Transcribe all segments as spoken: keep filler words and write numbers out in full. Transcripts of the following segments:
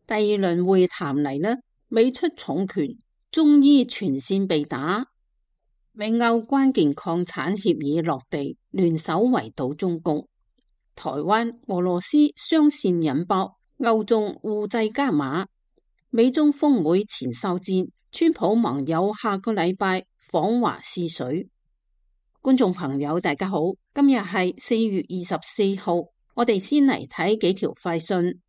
第二輪會談嚟呢，美出重拳，中伊全線被打，美歐關鍵礦產協議落地，聯手圍堵中共。台灣、俄羅斯雙線引爆，歐中互制加碼。美中峰會前哨戰，川普盟友下個禮拜訪華試水。觀眾朋友大家好，今日係四月二十四號，我哋先嚟睇幾條快訊。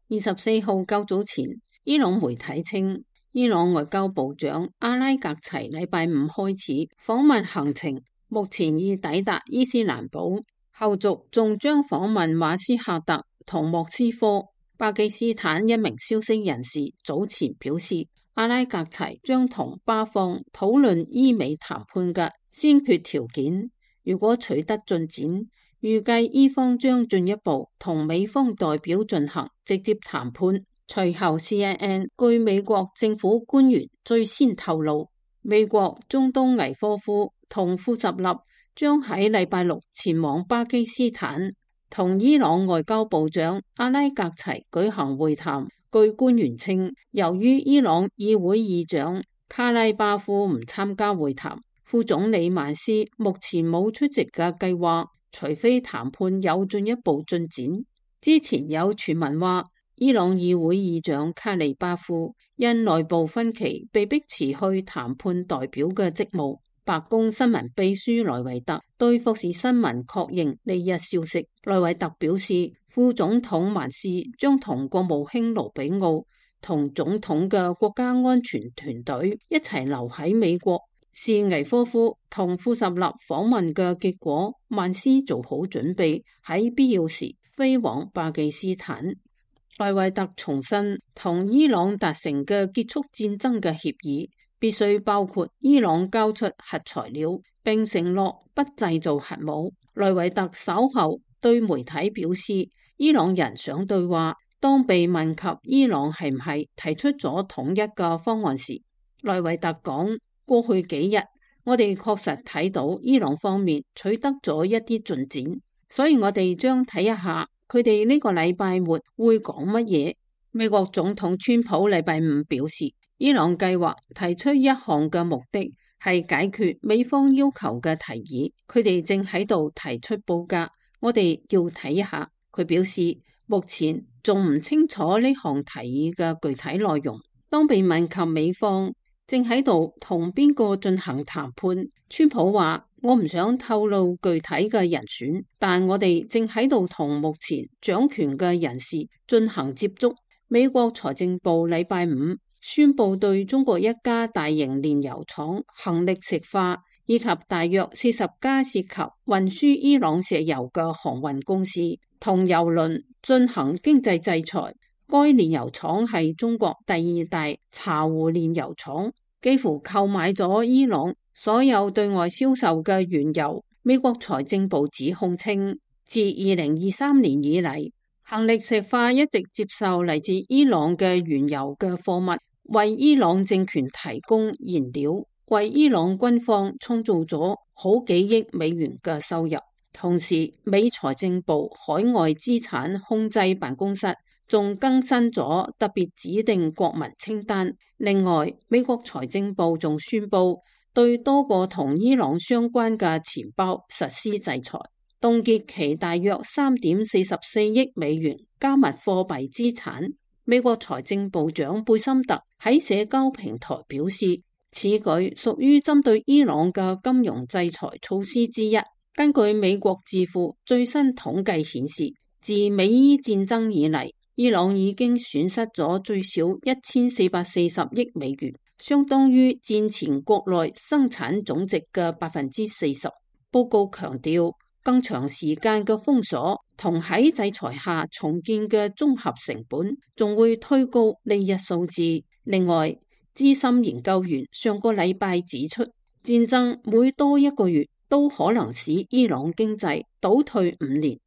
二十四號較早前，伊朗媒體稱，伊朗外交部長阿拉格齊禮拜五開始訪問行程，目前已抵達伊斯蘭堡，後續仲將訪問馬斯喀特同莫斯科。巴基斯坦一名消息人士早前表示，阿拉格齊將同巴方討論伊美談判嘅先決條件，如果取得進展，預計伊方將進一步同美方代表進行直接談判。隨後 C N N 據美國政府官員最先透露，美國中東危科夫同庫什納將喺禮拜六前往巴基斯坦，同伊朗外交部長阿拉格齊舉行會談。據官員稱，由於伊朗議會議長卡拉巴夫唔參加會談，副總理曼斯目前冇出席嘅計劃，除非談判有進一步進展。之前有傳聞話，伊朗議會議長卡利巴夫因內部分歧被迫辭去談判代表嘅職務。白宮新聞秘書萊維特對福士新聞確認呢一消息。萊維特表示，副總統曼斯將同國務卿盧比奧同總統嘅國家安全團隊一齊留喺美國，是危科夫同庫什納訪問嘅結果。曼斯做好準備，喺必要時飛往巴基斯坦。萊維特重申，同伊朗達成嘅結束戰爭嘅協議必須包括伊朗交出核材料，並承諾不製造核武。萊維特稍後對媒體表示，伊朗人想對話。當被問及伊朗係唔係提出咗統一嘅方案時，萊維特講，過去幾日我哋確實睇到伊朗方面取得咗一啲進展，所以我哋將睇一下佢哋呢個禮拜末會講乜嘢。美國總統川普禮拜五表示，伊朗計劃提出一項嘅目的係解決美方要求嘅提議，佢哋正喺度提出報價，我哋要睇一下。佢表示，目前仲唔清楚呢項提議嘅具體內容。當被問及美方正喺度同邊個進行談判，川普話，我唔想透露具體嘅人選，但我哋正喺度同目前掌權嘅人士進行接觸。美國財政部禮拜五宣布對中國一家大型煉油廠行力石化以及大約四十家涉及運輸伊朗石油嘅航運公司同郵輪進行經濟制裁。該煉油廠係中國第二大茶壺煉油廠，幾乎購買咗伊朗所有對外銷售嘅原油。美國財政部指控稱，自二零二三年以嚟，行力石化一直接受嚟自伊朗嘅原油嘅貨物，為伊朗政權提供燃料，為伊朗軍方創造咗好幾億美元嘅收入。同時，美財政部海外資產控制辦公室仲更新咗特別指定國民清單。另外，美國財政部仲宣布對多個同伊朗相關嘅錢包實施制裁，凍結其大約三點四十四億美元加密貨幣資產。美國財政部長貝森特喺社交平台表示，此舉屬於針對伊朗嘅金融制裁措施之一。根據美國智庫最新統計顯示，自美伊戰爭以嚟，伊朗已經損失咗最少一千四百四十億美元，相當於戰前國內生產總值嘅百分之四十。報告強調，更長時間嘅封鎖同喺制裁下重建嘅綜合成本，仲會推高呢一數字。另外，資深研究員上個禮拜指出，戰爭每多一個月，都可能使伊朗經濟倒退五年。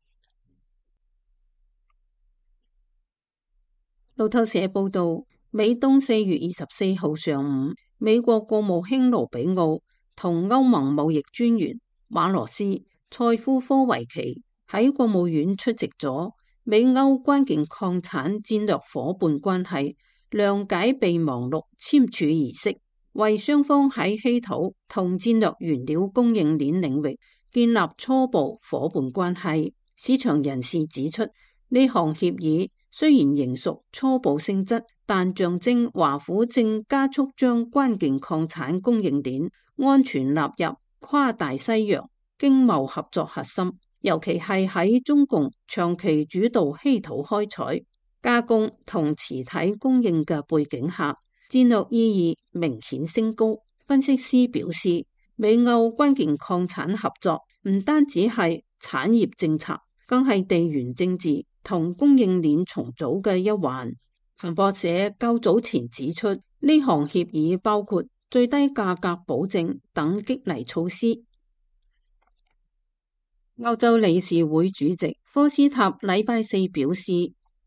路透社報道，美東四月二十四號上午，美國國務卿盧比奧同歐盟貿易專員馬羅斯塞夫科維奇喺國務院出席咗美歐關鍵礦產戰略夥伴關係諒解備忘錄簽署儀式，為雙方喺稀土同戰略原料供應鏈領域建立初步夥伴關係。市場人士指出，呢項協議雖然仍屬初步性質，但象徵華府正加速將關鍵礦產供應鏈安全納入跨大西洋經貿合作核心，尤其係喺中共長期主導稀土開採、加工同磁體供應嘅背景下，戰略意義明顯升高。分析師表示，美歐關鍵礦產合作唔單止係產業政策，更係地緣政治同供應鏈重組嘅一環。彭博社較早前指出，呢項協議包括最低價格保證等激勵措施。歐洲理事會主席科斯塔禮拜四表示，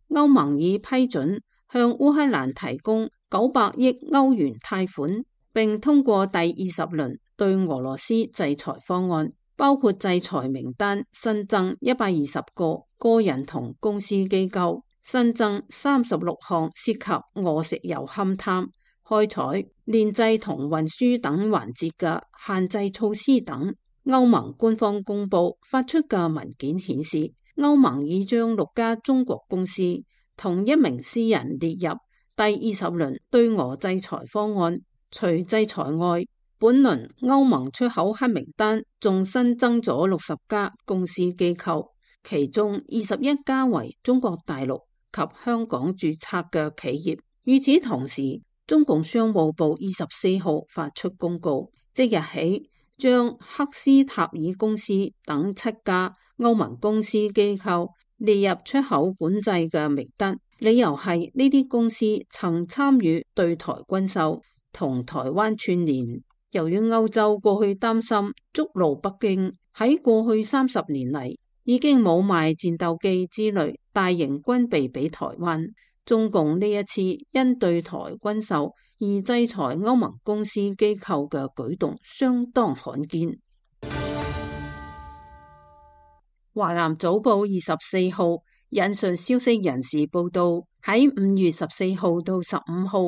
歐盟已批准向烏克蘭提供九百億歐元貸款，並通過第二十輪對俄羅斯制裁方案，包括制裁名單新增一百二十個個人同公司機構，新增三十六項涉及俄石油勘探、開採、煉製同運輸等環節嘅限制措施等。歐盟官方公佈發出嘅文件顯示，歐盟已將六家中國公司同一名私人列入第二十輪對俄制裁方案。除制裁外，本輪歐盟出口黑名單仲新增咗六十家公司機構，其中二十一家為中國大陸及香港註冊嘅企業。與此同時，中共商務部二十四號發出公告，即日起將克斯塔爾公司等七家歐盟公司機構列入出口管制嘅名單，理由係呢啲公司曾參與對台軍售同台灣串聯。由於歐洲過去擔心觸怒北京，喺過去三十年嚟已經冇賣戰鬥機之類大型軍備俾台灣，中共呢一次因對台軍售而制裁歐盟公司機構嘅舉動相當罕見。華南早報二十四號引述消息人士報道，喺五月十四號到十五號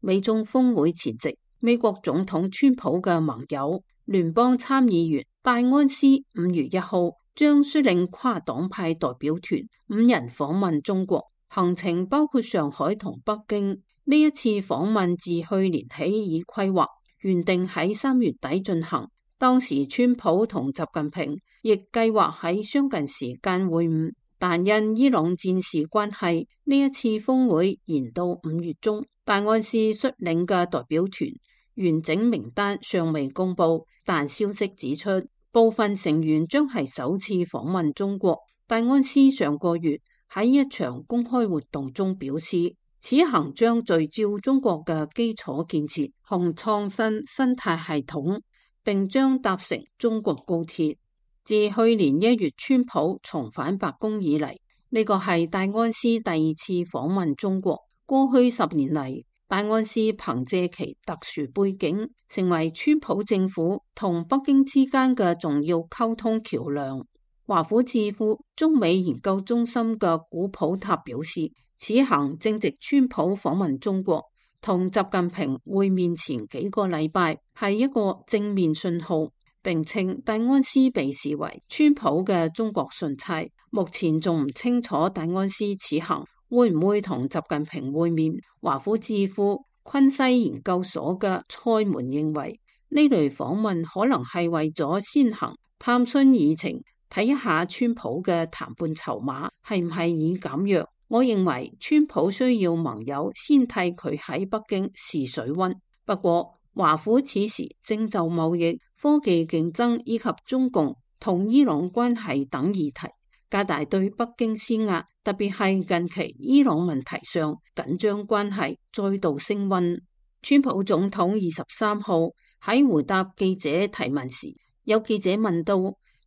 美中峰會前夕，美國總統川普嘅盟友聯邦參議員戴安斯五月一號將率領跨黨派代表團五人訪問中國，行程包括上海同北京。呢一次訪問自去年起已規劃，原定喺三月底進行。當時川普同習近平亦計劃喺相近時間會晤，但因伊朗戰事關係，呢一次峰會延到五月中。戴安斯率領嘅代表團完整名單尚未公布，但消息指出，部分成員將係首次訪問中國。戴安斯上個月喺一場公開活動中表示，此行將聚焦中國嘅基礎建設同創新生態系統，並將搭乘中國高鐵。自去年一月川普重返白宮以嚟，呢個係戴安斯第二次訪問中國。過去十年嚟，戴安斯憑借其特殊背景，成為川普政府同北京之間嘅重要溝通橋樑。華府智庫中美研究中心嘅古普塔表示，此行正值川普訪問中國同習近平會面前幾個禮拜，係一個正面信號，並稱戴安斯被視為川普嘅中國信差。目前仲唔清楚戴安斯此行會唔會同習近平會面。華府智庫昆西研究所嘅蔡門認為，呢類訪問可能係為咗先行探詢議程，睇一下川普嘅談判籌碼係唔係已減弱。我認為川普需要盟友先替佢喺北京試水溫。不過華府此時正就貿易、科技競爭以及中共同伊朗關係等議題加大對北京施壓，特別係近期伊朗問題上緊張關係再度升溫。川普總統二十三號喺回答記者提問時，有記者問到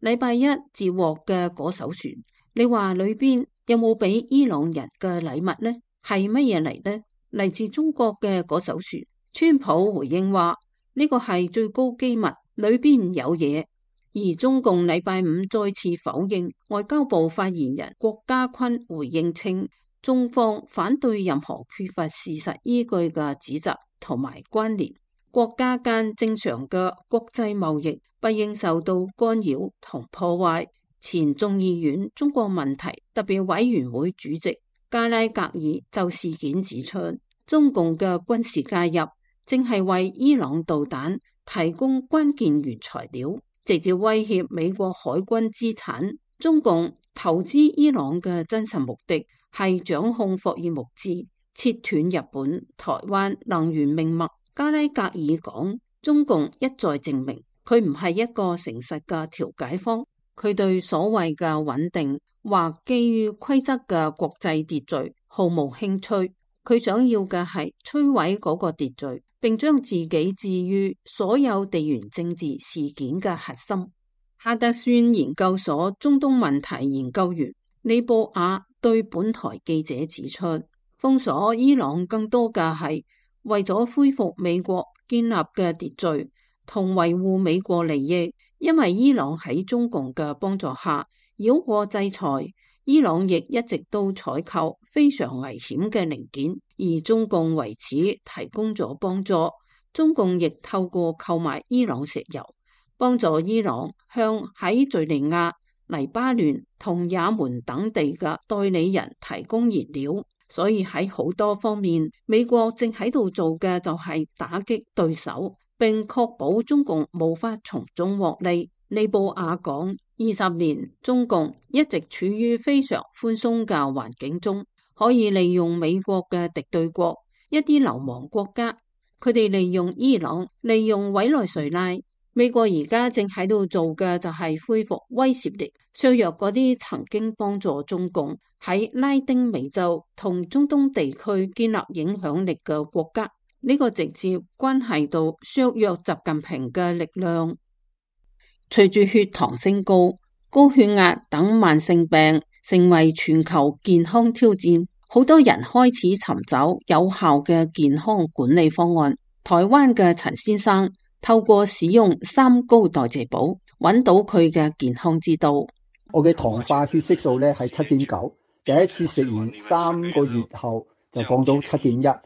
禮拜一截獲嘅嗰艘船，你話裏邊有冇俾伊朗人嘅禮物呢？係乜嘢嚟呢？嚟自中國嘅嗰艘船。川普回應話，呢個係最高機密，裏邊有嘢。而中共禮拜五再次否認。外交部發言人郭家坤回應稱，中方反對任何缺乏事實依據嘅指責同埋關聯，國家間正常嘅國際貿易不應受到干擾同破壞。前眾議院中國問題特別委員會主席加拉格爾就事件指出，中共嘅軍事介入正係為伊朗導彈提供關鍵原材料，直接威脅美國海軍資產。中共投資伊朗嘅真實目的係掌控霍爾木茲，切斷日本、台灣能源命脈。加拉格爾講，中共一再證明佢唔係一個誠實嘅調解方，佢對所謂嘅穩定或基於規則嘅國際秩序毫無興趣，佢想要嘅係摧毀嗰個秩序，並將自己置於所有地緣政治事件嘅核心。哈德遜研究所中東問題研究員李布亞對本台記者指出，封鎖伊朗更多嘅係為咗恢復美國建立嘅秩序同維護美國利益，因為伊朗喺中共嘅幫助下繞過制裁，伊朗亦一直都採購非常危險嘅零件，而中共為此提供咗幫助。中共亦透過購買伊朗石油，幫助伊朗向喺敘利亞、黎巴嫩同也門等地嘅代理人提供燃料。所以喺好多方面，美國正喺度做嘅就係打擊對手，並確保中共無法從中獲利。利布亞講，二十年中共一直處於非常寬鬆嘅環境中，可以利用美國嘅敵對國一啲流亡國家，佢哋利用伊朗，利用委內瑞拉。美國而家正喺度做嘅就係恢復威懾力，削弱嗰啲曾經幫助中共喺拉丁美洲同中東地區建立影響力嘅國家。呢個直接關係到削弱習近平嘅力量。隨住血糖升高、高血壓等慢性病成為全球健康挑戰，好多人開始尋找有效嘅健康管理方案。台灣嘅陳先生透過使用三高代謝寶，揾到佢嘅健康之道。我嘅糖化血色素咧係七點九，第一次食完三個月後就降到七點一，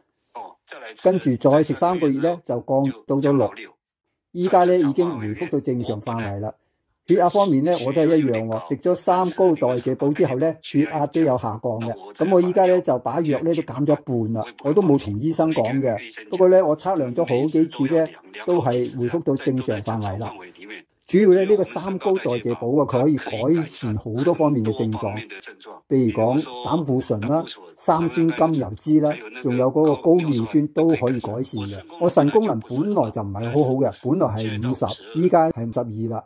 跟住再食三個月咧就降到咗六，依家咧已經回復到正常範圍啦。血壓方面咧我都係一樣喎，食咗三高代謝寶之後咧血壓都有下降嘅。咁我依家咧就把藥咧都減咗一半啦，我都冇同醫生講嘅。不過咧我測量咗好幾次咧都係回復到正常範圍啦。主要咧呢個三高代謝寶啊，佢可以改善好多方面嘅症狀，譬如講膽固醇啦、三酸甘油酯啦，仲有嗰個高尿酸都可以改善嘅。我腎功能本來就唔係好好嘅，本來係五十，依家係五十二啦。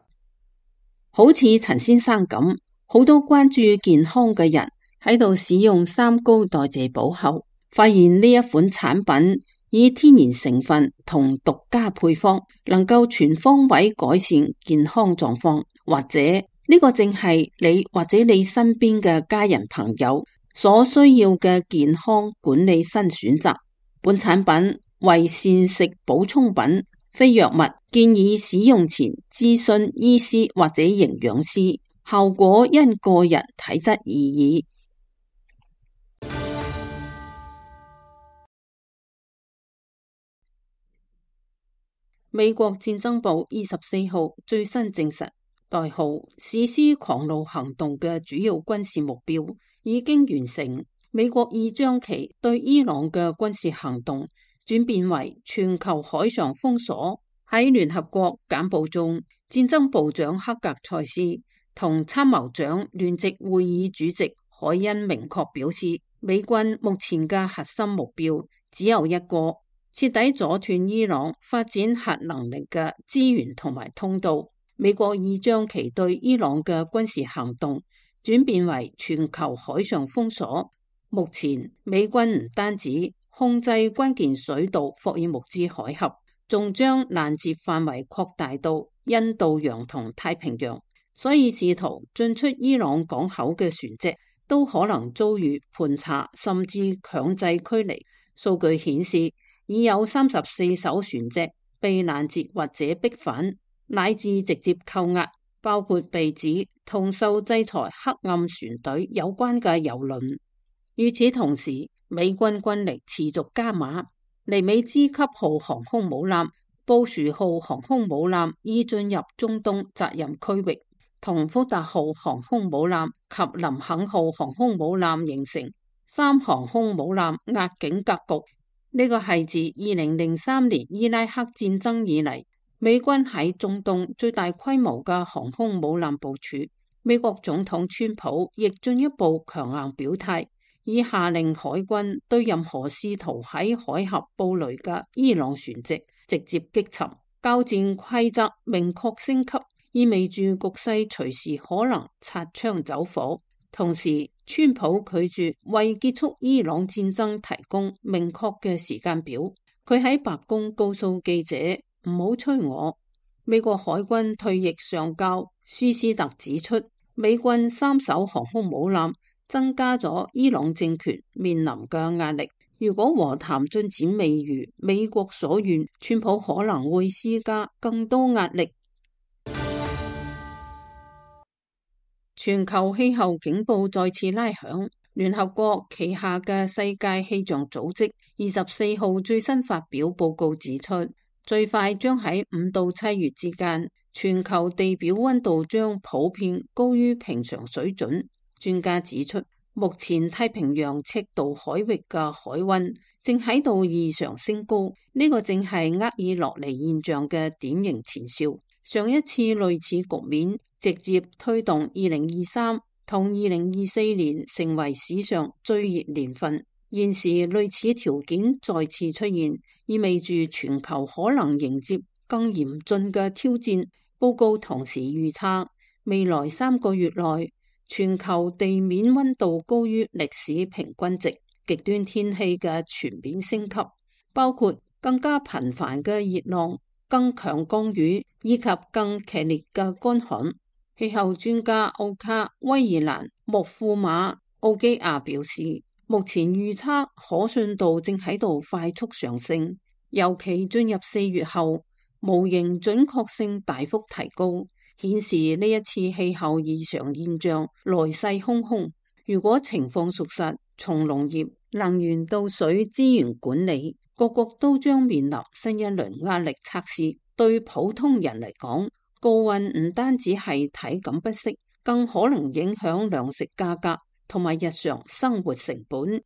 好似陳先生咁，好多關注健康嘅人喺度使用三高代謝寶後，發現呢一款產品以天然成分同獨家配方，能夠全方位改善健康狀況，或者呢個正係你或者你身邊嘅家人朋友所需要嘅健康管理新選擇。本產品為膳食補充品，非藥物，建議使用前諮詢醫師或者營養師，效果因個人體質而異。美國戰爭部二十四號最新證實，代號史詩狂怒行動嘅主要軍事目標已經完成。美國已將其對伊朗嘅軍事行動轉變為全球海上封鎖。喺聯合國簡報中，戰爭部長克格塞斯同參謀長聯席會議主席海恩明確表示，美軍目前嘅核心目標只有一個，徹底阻斷伊朗發展核能力嘅資源同埋通道。美國已將其對伊朗嘅軍事行動轉變為全球海上封鎖。目前美軍唔單止控制關鍵水道霍爾木茲海峽，仲將攔截範圍擴大到印度洋同太平洋，所以試圖進出伊朗港口嘅船隻都可能遭遇盤查甚至強制驅離。數據顯示，已有三十四艘船隻被攔截或者逼返，乃至直接扣押。包括被指同受制裁黑暗船隊有關嘅油輪。與此同時，美軍軍力持續加碼，尼美茲級號航空母艦、布殊號航空母艦已進入中東責任區域，同福特號航空母艦及林肯號航空母艦形成三航空母艦壓境格局。呢個係自二零零三年伊拉克戰爭以嚟，美軍喺中東最大規模嘅航空母艦部署。美國總統川普亦進一步強硬表態，以下令海軍對任何試圖喺海峽布雷嘅伊朗船隻直接擊沉。交戰規則明確升級，意味住局勢隨時可能擦槍走火。同時，川普拒絕為結束伊朗戰爭提供明確嘅時間表。佢喺白宮告訴記者唔好催我。美國海軍退役上校舒斯特指出，美軍三艘航空母艦增加咗伊朗政權面臨嘅壓力。如果和談進展未如美國所願，川普可能會施加更多壓力。全球氣候警報再次拉響，聯合國旗下嘅世界氣象組織二十四號最新發表報告指出，最快將喺五到七月之間，全球地表溫度將普遍高於平常水準。專家指出，目前太平洋赤道海域嘅海溫正喺度異常升高，呢、這個正係厄爾洛尼現象嘅典型前兆。上一次類似局面直接推動二零二三同二零二四年成為史上最熱年份。現時類似條件再次出現，意味住全球可能迎接更嚴峻嘅挑戰。報告同時預測，未來三個月內全球地面溫度高於歷史平均值，極端天氣嘅全面升級，包括更加頻繁嘅熱浪、更強降雨以及更劇烈嘅乾旱。氣候專家奧卡威爾蘭穆庫馬奧基亞表示，目前預測可信度正喺度快速上升，尤其進入四月後，模型準確性大幅提高，顯示呢一次氣候異常現象來勢洶洶。如果情況屬實，從農業、能源到水資源管理，各國都將面臨新一輪壓力測試。對普通人嚟講，高溫唔單止係體感不適，更可能影響糧食價格同埋日常生活成本。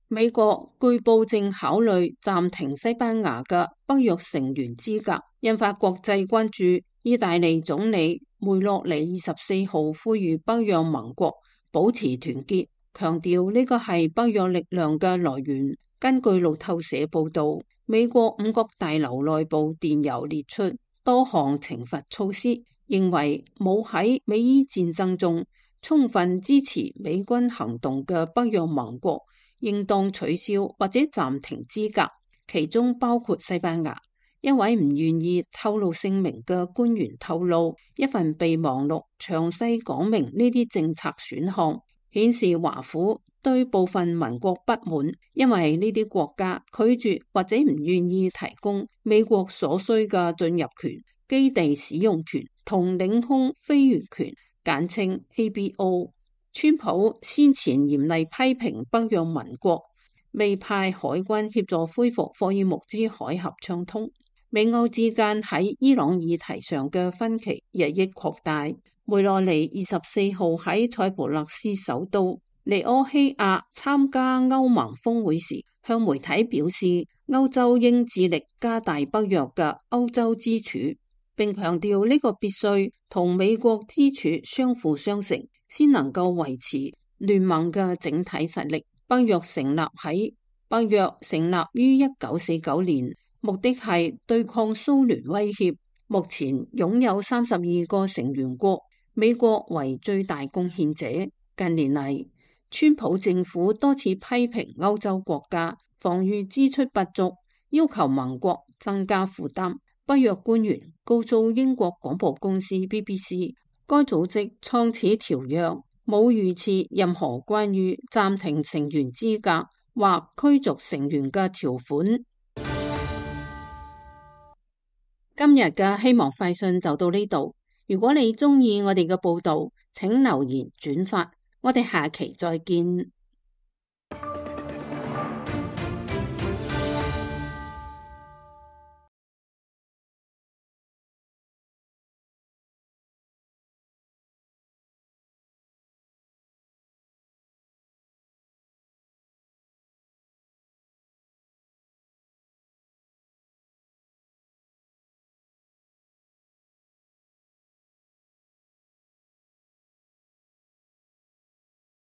美國據報正考慮暫停西班牙嘅北約成員資格，引發國際關注。意大利總理梅洛尼二十四號呼籲北約盟國保持團結，強調呢個係北約力量嘅來源。根據路透社報道，美國五角大樓內部電郵列出多項懲罰措施，認為冇喺美伊戰爭中充分支持美軍行動嘅北約盟國應當取消或者暫停資格，其中包括西班牙。一位唔願意透露姓名嘅官員透露，一份備忘錄詳細講明呢啲政策選項，顯示華府對部分盟國不滿，因為呢啲國家拒絕或者唔願意提供美國所需嘅進入權、基地使用權同領空飛越權，簡稱 A B O。川普先前嚴厲批評北約盟國未派海軍協助恢復霍爾木茲海峽暢通。美歐之間喺伊朗議題上嘅分歧日益擴大。梅洛尼二十四號喺塞浦路斯首都尼柯希亞參加歐盟峰會時，向媒體表示，歐洲應致力加大北約嘅歐洲支柱，並強調呢個必須同美國支柱相輔相成，先能夠維持聯盟嘅整體實力。北約成立喺北約成立於一九四九年。目的係對抗蘇聯威脅，目前擁有三十二個成員國，美國為最大貢獻者。近年嚟，川普政府多次批評歐洲國家防禦支出不足，要求盟國增加負擔。北約官員告訴英國廣播公司 B B C， 該組織創始條約冇預設任何關於暫停成員資格或驅逐成員嘅條款。今日嘅希望快訊就到呢度。如果你鍾意我哋嘅報道，請留言轉發。我哋下期再見。